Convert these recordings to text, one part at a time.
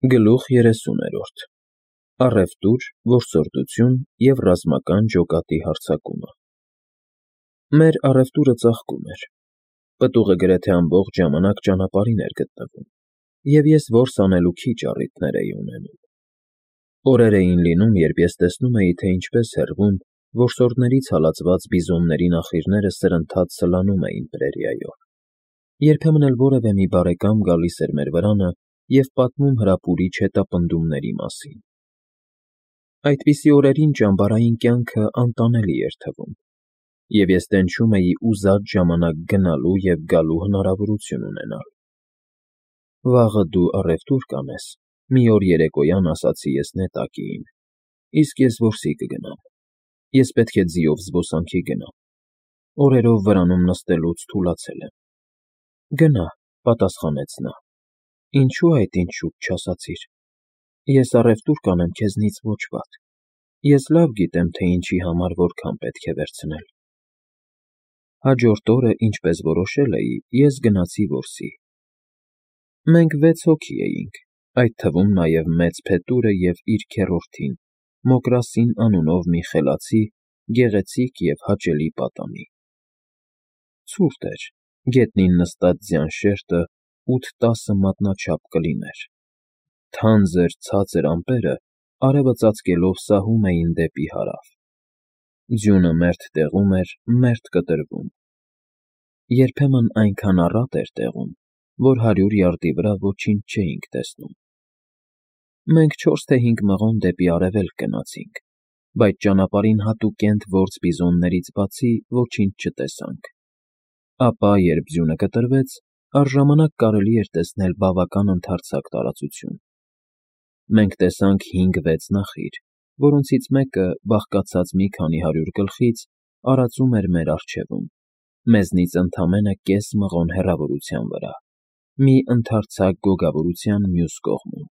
Գլուխ 30-րդ Առևտուր, որսորդություն և ռազմական ջոկատի հարձակումը Մեր առևտուրը ծաղկում էր, պտուղը գրեթե ամբողջ ժամանակ ճանապարհին էր գտնվում, և ես որս անելու քիչ առիթներ էի ունենում։ Օրեր էին լինում, երբ ես տեսնում էի, թե ինչպես հեռվում որսորդներից հալածված բիզոնների նախիրները սրընթաց սլանում էին պրերիայով։ Երբեմն էլ որևէ մի բարեկամ գալիս էր մեր վրանը և պատմում հրապուրիչ հետապնդումների մասին։ Այդպիսի օրերին ճամբարային կյանքը անտանելի էր թվում, և ես տենչում էի ուզած ժամանակ գնալու և գալու հնարավորություն ունենալ։ «Վաղը դու առևտուր կանես,֊ մի օր երեկոյան ասացի ես նետակիին,֊ իսկ ես որսի կգնամ։ Ես պետք է ձիով զբոսանքի գնամ։ Օրերով վրանում նստելուց թուլացել եմ»։ «Գնա,֊ պատասխանեց նա,֊ ինչո՞ւ այդ ինձ շուտ չասացիր։ Ես առևտուր կանեմ քեզնից ոչ վատ։ Ես լավ գիտեմ, թե ինչի համար որքան պետք է վերցնել»։ Հաջորդ օրը, ինչպես որոշել էի, ես գնացի որսի։ Մենք 6 հոգի էինք, այդ թվում նաև մեծ փետուրը և իր քեռորդին՝ Մոկրասին անունով մի խելացի, գեղեցիկ և հաճելի պատանի։ Ցուրտ էր, գետնին նստած ձյան շերտը 8-10 մատնաչափ կլիներ։ Թանձր, ցածր ամպերը արևը ծածկելով սահում էին դեպի հարավ։ Ձյունը մերթ տեղում էր, մերթ կտրվում։ Երբեմն այնքան առատ էր տեղում, որ 100 յարդի վրա ոչինչ չէինք տեսնում։ Մենք 4 թե 5 մղոն դեպի արևելք գնացինք, բայց ճանապարհին հատուկենտ որս բիզոններից բացի ոչինչ չտեսանք։ Ապա, երբ ձյունը կտրվեց, առժամանակ կարելի էր տեսնել բավական ընդարձակ տարածություն։ Մենք տեսանք 5-6 նախիր, որոնցից մեկը, բաղկացած մի քանի 100 գլխից, արածում էր մեր առջևում, մեզնից ընդամենը կես մղոն հեռավորության վրա, մի ընդարձակ գոգավորության մյուս կողմում։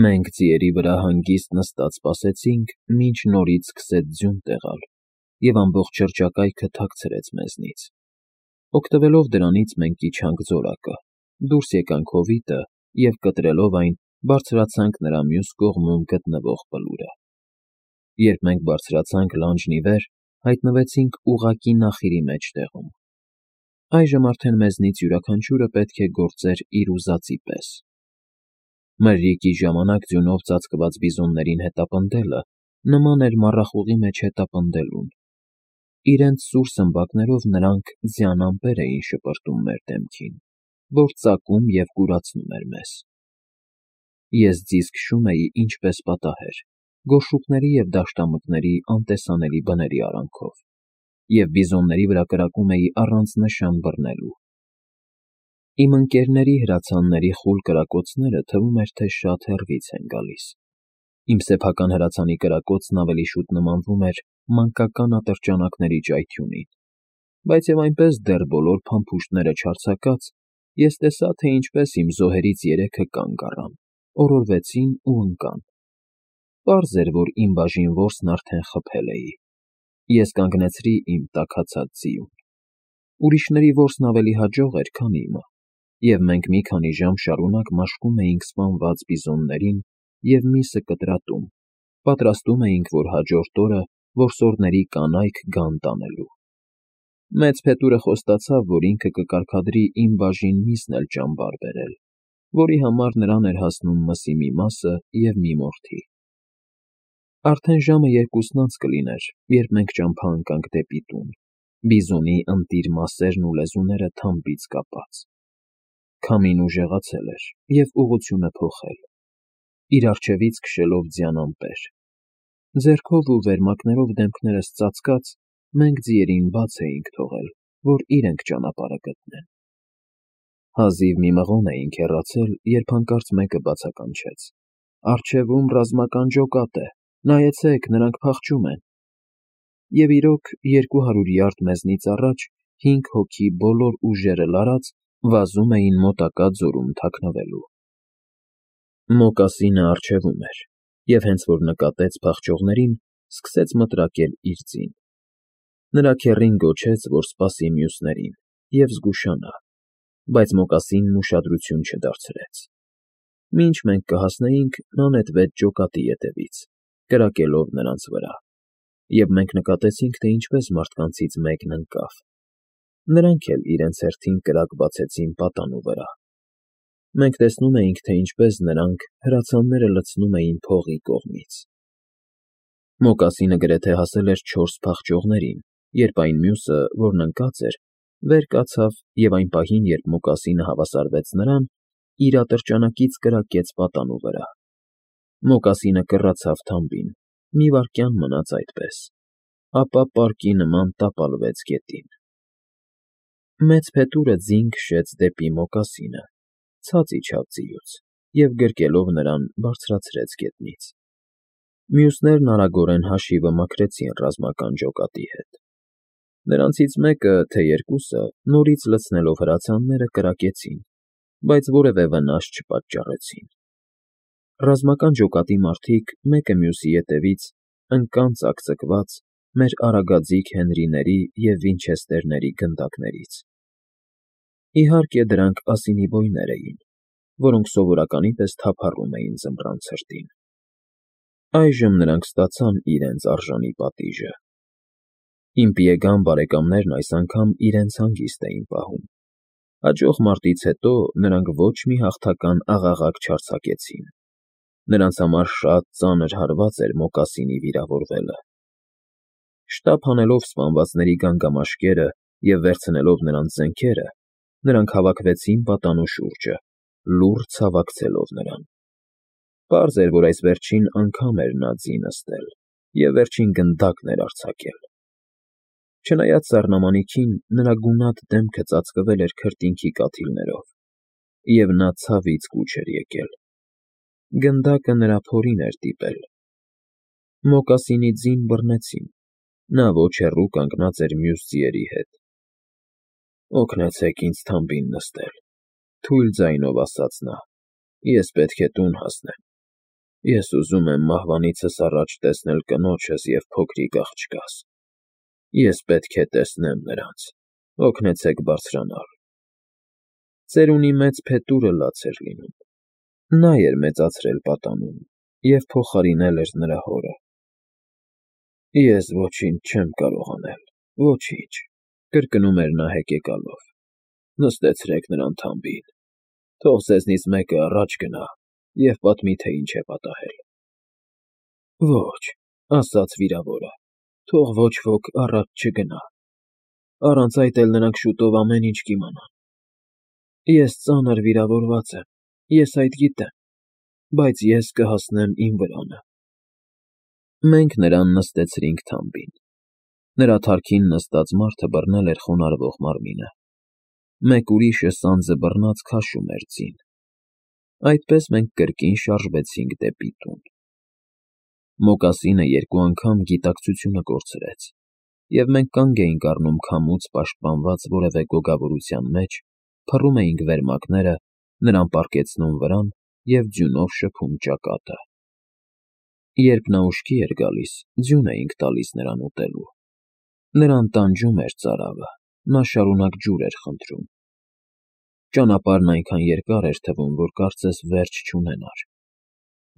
Մենք ձիերի վրա հանգիստ նստած սպասեցինք, մինչ նորից սկսեց ձյուն տեղալ, և ամբողջ շրջակայքը թաքցրեց մեզնից։ Օգտվելով դրանից մենք իջանք զորակը, դուրս եկանք հովիտը և, կտրելով այն, բարձրացանք նրա մյուս կողմում գտնվող բլուրը։ Երբ մենք բարձրացանք լանջն ի վեր, հայտնվեցինք ուղղակի նախիրի մեջտեղում։ Այժմ արդեն մեզնից յուրաքանչյուրը պետք է գործեր իր ուզածի պես։ Մրրիկի ժամանակ ձյունով ծածկված բիզոններին հետապնդելը նման էր մառախուղի մեջ հետապնդելուն։ Իրենց սուր սմբակներով նրանք ձյան ամպեր էին շպրտում մեր դեմքին, որ ծակում և կուրացնում էր մեզ։ Ես ձիզ քշում էի ինչպես պատահեր, գորշուկների և դաշտամկների անտեսանելի բների արանքով, և բիզոնների վրա կրակում էի առանց նշան բռնելու։ Իմ ընկերների հրացանների խուլ կրակոցները թվում էր, թե շատ հեռվից են գալիս։ Իմ սեփական հրացանի կրակոցն ավելի շուտ նմանվում էր մանկական ատրճանակների ճայթյունին, բայց և այնպես դեռ բոլոր փամփուշտները չարձակած, ես տեսա, թե ինչպես իմ զոհերից 3-ը կանգ առան, օրորվեցին ու ընկան։ Պարզ էր, որ իմ բաժին որսն արդեն խփել էի։ Ես կանգնեցրի իմ տաքացած ձիուն։ Ուրիշների որսն ավելի հաջող էր, քան իմը, և մենք մի քանի ժամ շարունակ մաշկում էինք սպանված բիզոններին և միսը կտրատում, պատրաստում էինք, որ հաջորդ օրը որսորդների կանայք գան տանելու։ Մեծ փետուրը խոստացավ, որ ինքը կկարգադրի իմ բաժին միսն էլ ճամբար բերել, որի համար նրան էր հասնում մսի մի մասը և մի մորթի։ Արդեն ժամը 2-ն անց կլիներ, երբ մենք ճամփա ընկանք դեպի տուն, բիզոնի ընտիր մասերն ու լեզուները թամբից կապած։ Քամին ուժեղացել էր և ուղղությունը փոխել, իր առջևից քշելով ձյան ամպեր։ Ձեռքով ու վերմակներով դեմքներս ծածկած, մենք ձիերին բաց էինք թողել, որ իրենք ճանապարհը գտնեն։ Հազիվ մի մղոն էինք հեռացել, երբ հանկարծ մեկը բացականչեց. «Առջևում ռազմական ջոկատ է, նայեցեք, նրանք փախչում են»։ Եվ իրոք, 200 յարդ մեզնից առաջ 5 հոգի բոլոր ուժերը լարած վազում էին մոտակա ձորում թաքնվելու։ Մոկասինը առջևում էր, և հենց որ նկատեց փախչողներին, սկսեց մտրակել իր ձին։ Նրա քեռին գոչեց, որ սպասի մյուսներին, և զգուշանա, բայց մոկասինն ուշադրություն չդարձրեց։ Մինչ մենք կհասնեինք, նա նետվեց ջոկատի ետևից, կրակելով նրանց վրա, և մենք նկատեցինք, թե ինչպես մարդկանցից մեկն ընկավ. նրանք էլ իրենց հերթին կրակ բացեցին պատանու վրա։ Մենք տեսնում էինք, թե ինչպես նրանք հրացանները լցնում էին փողի կողմից։ Մոկասինը գրեթե հասել էր 4 փախչողներին, երբ այն մյուսը, որն ընկած էր, վեր կացավ և այն պահին, երբ մոկասինը հավասարվեց նրան, իր ատրճանակից կրակեց պատանու վրա։ Մոկասինը կռացավ թամբին, մի վայրկյան մնաց այդպես, ապա պարկի նման տապալվեց գետին։ Մեծ փետուրը ձին քշեց դեպի մոկասինը, ցած իջավ ձիուց և գրկելով նրան բարձրացրեց գետնից։ Մյուսներն արագորեն հաշիվը մաքրեցին ռազմական ջոկատի հետ։ Նրանցից մեկը, թե երկուսը, նորից լցնելով հրացանները, կրակեցին, բայց որևէ վնաս չպատճառեցին։ Ռազմական ջոկատի մարդիկ մեկը մյուսի ետևից ընկան ծակծկված մեր արագաձիգ Հենրիների և Վինչեսթերների գնդակներից։ Իհարկե, դրանք ասինիբոյներ էին, որոնք սովորականի պես թափառում էին ձմռան ցրտին։ Այժմ նրանք ստացան իրենց արժանի պատիժը։ Իմ պիեգան բարեկամներն այս անգամ իրենց հանգիստ էին պահում։ Հաջող մարտից հետո նրանք ոչ մի հաղթական աղաղակ չարձակեցին։ Նրանց համար շատ ծանր հարված էր մոկասինի վիրավորվելը։ Շտապ հանելով սպանվածների գանգամաշկերը և վերցնելով նրանց զենքերը, նրանք հավաքվեցին պատանու շուրջը, լուռ ցավակցելով նրան։ Պարզ էր, որ այս վերջին անգամ էր նա ձի նստել և վերջին գնդակն էր արձակել։ Չնայած սառնամանիքին, նրա գունատ դեմքը ծածկվել էր քրտինքի կաթիլներով, և նա ցավից կուչ էր եկել։ Գնդակը նրա փորին էր դիպել։ Մոկասինի ձին բռնեցին, նա ոչ հեռու կանգնած էր մյուս ձիերի հետ։ «Օգնեցեք ինձ թամբին նստել,֊ թույլ ձայնով ասաց նա,֊ ես պետք է տուն հասնեմ։ Ես ուզում եմ մահվանիցս առաջ տեսնել կնոջս և փոքրիկ աղջկաս։ Ես պետք է տեսնեմ նրանց, օգնեցեք բարձրանալ»։ Ծերունի մեծ փետուրը լաց էր լինում։ Նա էր մեծացրել պատանուն և փոխարինել էր նրա հորը։ «Ես ոչինչ չեմ կարող անել, ոչինչ,֊ կրկնում էր նա հեկեկալով,֊ նստեցրեք նրան թամբին, թող ձեզնից մեկը առաջ գնա և պատմի, թե ինչ է պատահել»։ «Ոչ,֊ ասաց վիրավորը,֊ թող ոչ ոք առաջ չգնա, առանց այդ էլ նրանք շուտով ամեն ինչ կիմանան։ Ես ծանր վիրավորված եմ, ես այդ գիտեմ, բայց ես կհասնեմ իմ վրանը»։ Մենք նրան նստեցրինք թամբին։ Նրա թարքին նստած մարդը բռնել էր խոնարհվող մարմինը։ Մեկ ուրիշը սանձը բռնած քաշում էր ձին։ Այդպես մենք կրկին շարժվեցինք դեպի տուն։ Մոկասինը 2 անգամ գիտակցությունը կորցրեց, և մենք կանգ էինք առնում քամուց պաշտպանված որևէ գոգավորության մեջ, փռում էինք վերմակները, նրան պառկեցնում վրան և ձյունով շփում ճակատը։ Երբ նա ուշքի էր գալիս, ձյուն էինք տալիս նրան ուտելու։ Նրան տանջում էր ծարավը, նա շարունակ ջուր էր խնդրում։ Ճանապարհն այնքան երկար էր թվում, որ կարծես վերջ չունենար։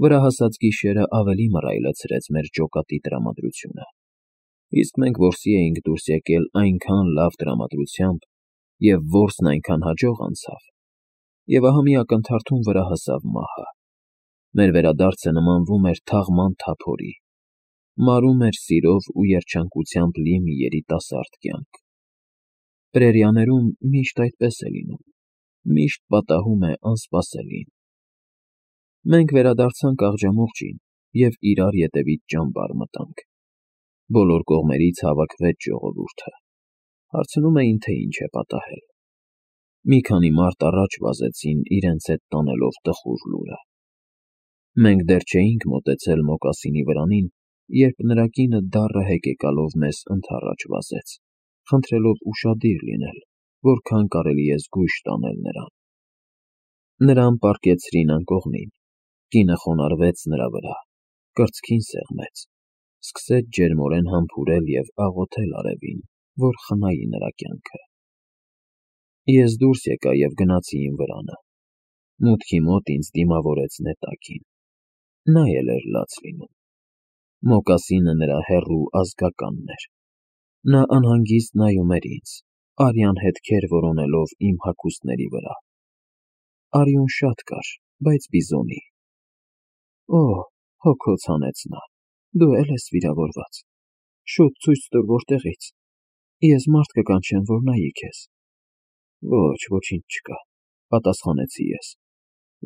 Վրա հասած գիշերը ավելի մռայլացրեց մեր ջոկատի տրամադրությունը, իսկ մենք որսի էինք դուրս եկել այնքան լավ տրամադրությամբ, և որսն այնքան հաջող անցավ, և ահա մի ակնթարթում վրա հասավ մահը։ Մեր վերադարձը նմանվում էր թաղման թափորի, մարում էր սիրով ու երջանկությամբ լի մի երիտասարդ կյանք։ Պրերիաներում միշտ այդպես է լինում, միշտ պատահում է անսպասելին։ Մենք վերադարձանք աղջամուղջին և իրար ետևից ճամբար մտանք։ Բոլոր կողմերից հավաքվեց ժողովուրդը։ Հարցնում էին, թե ինչ է պատահել։ Մի քանի մարդ առաջ վազեցին, իրենց հետ տանելով տխուր լուրը։ Մենք դեռ չէինք մոտեցել մոկասինի վրանին, երբ նրա կինը դառը հեկեկալով մեզ ընդառաջ վազեց, խնդրելով ուշադիր լինել, որքան կարելի է զգույշ տանել նրան։ Նրան պառկեցրին անկողնին, կինը խոնարհվեց նրա վրա, կրծքին սեղմեց, սկսեց ջերմորեն համբուրել և աղոթել արևին, որ խնայի նրա կյանքը։ Ես դուրս եկա և գնացի իմ վրանը։ Մուտքի մոտ ինձ դիմավորեց նետակին։ Նա էլ էր լաց լինում։ Մոկասինը նրա հեռու ազգականն էր։ Նա անհանգիստ նայում էր ինձ, արյան հետքեր որոնելով իմ հագուստների վրա։ Արյուն շատ կար, բայց բիզոնի։ Օ՜, հոգոց հանեց նա, դու էլ ես վիրավորված։ Շուտ ցույց տուր որտեղից։ Ես մարդ կկանչեմ, որ նայի քեզ։ Ոչ, ոչինչ չկա, պատասխանեցի ես։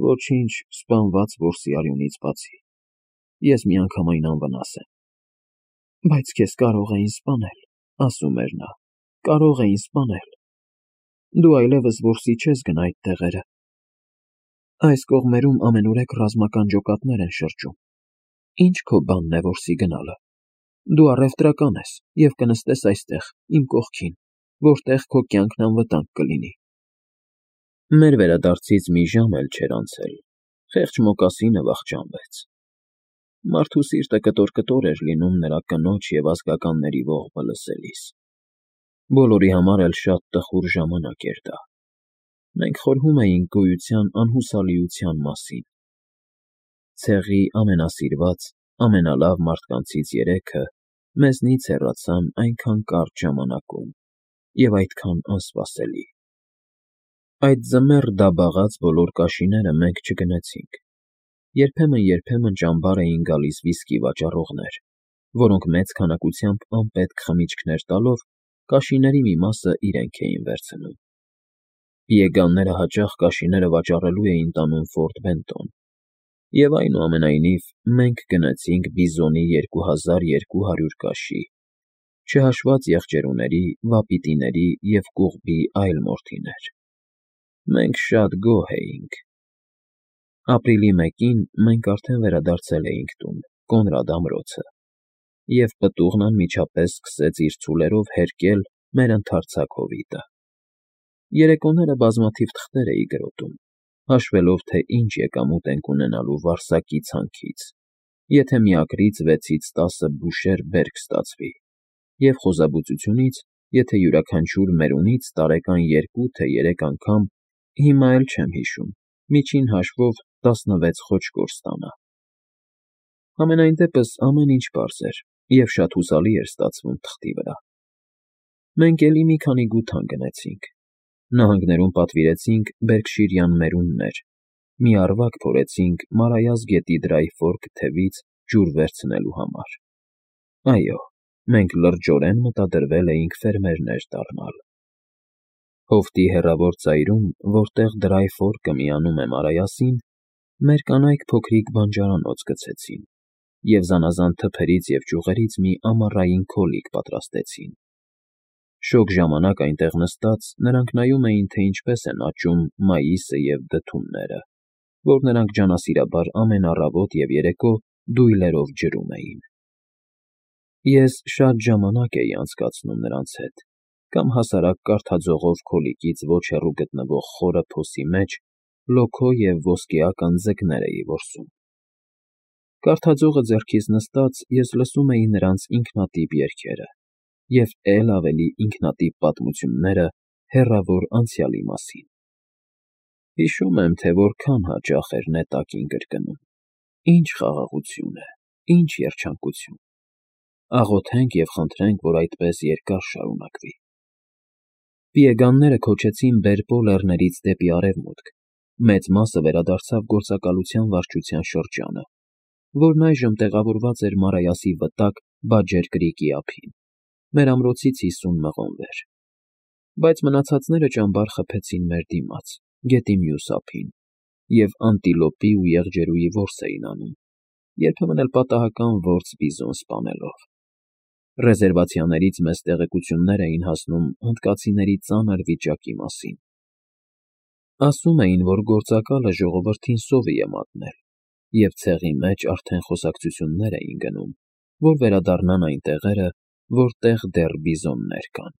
Ոչինչ սպանված որսի արյունից բացի։ Ես միանգամայն անվնաս եմ։ Բայց քեզ կարող էին սպանել, ասում էր նա, կարող էին սպանել։ Դու այլևս որսի չես գնա այդ տեղերը։ Այս կողմերում ամենուրեք ռազմական ջոկատներ են շրջում։ Ինչ քո բանն է որսի գնալը։ Դու առևտրական ես և կնստես այստեղ, իմ կողքին, որտեղ քո կյանքն անվտանգ կլինի։ Մեր վերադարձից մի ժամ էլ չէր անցել, խեղճ մոկասինը վախճանվեց։ Մարդու սիրտը կտոր-կտոր էր լինում նրա կնոջ և ազգականների ողբը լսելիս։ Բոլորի համար էլ շատ տխուր ժամանակ էր դա։ Մենք խորհում էինք գոյության անհուսալիության մասին։ Ցեղի ամենասիրված, ամենալավ մարդկանցից երեքը մեզնից հեռացան այնքան կարճ ժամանակում և այդքան անսպասելի։ Այդ ձմեռ դաբաղած բոլոր կաշիները մենք չգնեցինք։ Երբեմն ճամբար էին գալիս վիսկի վաճառողներ, որոնք մեծ քանակությամբ անպետք խմիչքներ տալով կաշիների մի մասը իրենք էին վերցնում։ Պիեգանները հաճախ կաշիները վաճառելու էին տանում Ֆորտ Բենտոն, և այնուամենայնիվ մենք գնեցինք բիզոնի 2200 կաշի, չհաշված եղջերուների, վապիտիների և կուղբի այլ մորթիներ։ Մենք շատ գոհ էինք։ Ապրիլի 1-ին մենք արդեն վերադարձել էինք տուն, Կոնրադ ամրոցը, և պտուղն անմիջապես սկսեց իր ցուլերով հերկել մեր ընդարձակ հովիտը։ Երեկոները բազմաթիվ թղթեր էի գրոտում, հաշվելով, թե ինչ եկամուտ ենք ունենալու Վարսակի ցանքից, եթե միակրից 6-10 բուշեր բերք ստացվի, և խոզաբուծությունից, եթե յուրաքանչյուր մերունից տարեկան 2 թե 3 անգամ, հիմա էլ չեմ հիշում, միջին հաշվով 16 խոճկոր ստանա։ Համենայն դեպս ամեն ինչ պարզ էր և շատ հուսալի էր ստացվում թղթի վրա։ Մենք էլի մի քանի գութան գնեցինք։ Նահանգներում պատվիրեցինք բերքշիրյան մերուններ, մի առվակ փորեցինք Մարայას գետի Դրայ Ֆորք թևից ջուր վերցնելու համար։ Այո, մենք լրջորեն մտադրվել էինք ֆերմերներ դառնալ։ Հովտի հեռավոր ծայրում, որտեղ Դրայ Ֆորքը միանում է Մարայասին, մեր կանայք փոքրիկ բանջարանոց գցեցին և զանազան թփերից և ճյուղերից մի ամառային քոլիկ պատրաստեցին։ Շոգ ժամանակ այնտեղ նստած նրանք նայում էին, թե ինչպես են աճում մայիսը և դդումները, որ նրանք ջանասիրաբար ամեն առավոտ և երեկո դույլերով ջրում էին։ Ես շատ ժամանակ էի անցկացնում նրանց հետ, կամ հասարակ կարդաձողով քոլիկից ոչ հեռու գտնվող խորը փոսի մեջ լոքո և ոսկեական ձկներ էի որսում։ Կարդաձողը ձեռքիս նստած ես լսում էի նրանց ինքնատիպ երգերը և էլ ավելի ինքնատիպ պատմությունները հեռավոր անցյալի մասին։ Հիշում եմ, թե որքան հաճախ էր նետակին կրկնում. «Ինչ խաղաղություն է, ինչ երջանկություն։ Աղոթենք և խնդրենք, որ այդպես երկար շարունակվի»։ Պիեգանները քոչեցին Բերպո լեռներից դեպի արևմուտք, մեծ մասը վերադարձավ գործակալության վարչության շրջանը, որն այժմ տեղավորված էր Մարայասի վտակ Բաջեր կրիկի ափին, մեր ամրոցից 50 մղոն վեր։ Բայց մնացածները ճամբար խփեցին մեր դիմաց, գետի մյուս ափին, և անտիլոպի ու եղջերուի որս էին անում, երբեմն էլ պատահական որց բիզոն սպանելով։ Ռեզերվացիաներից մեզ տեղեկություններ էին հասնում հնդկացիների ծանր վիճակի մասին։ Ասում էին, որ գործակալը ժողովրդին սովի է մատնել, և ցեղի մեջ արդեն խոսակցություններ էին գնում, որ վերադառնան այն տեղերը, որտեղ դեռ բիզոններ կան։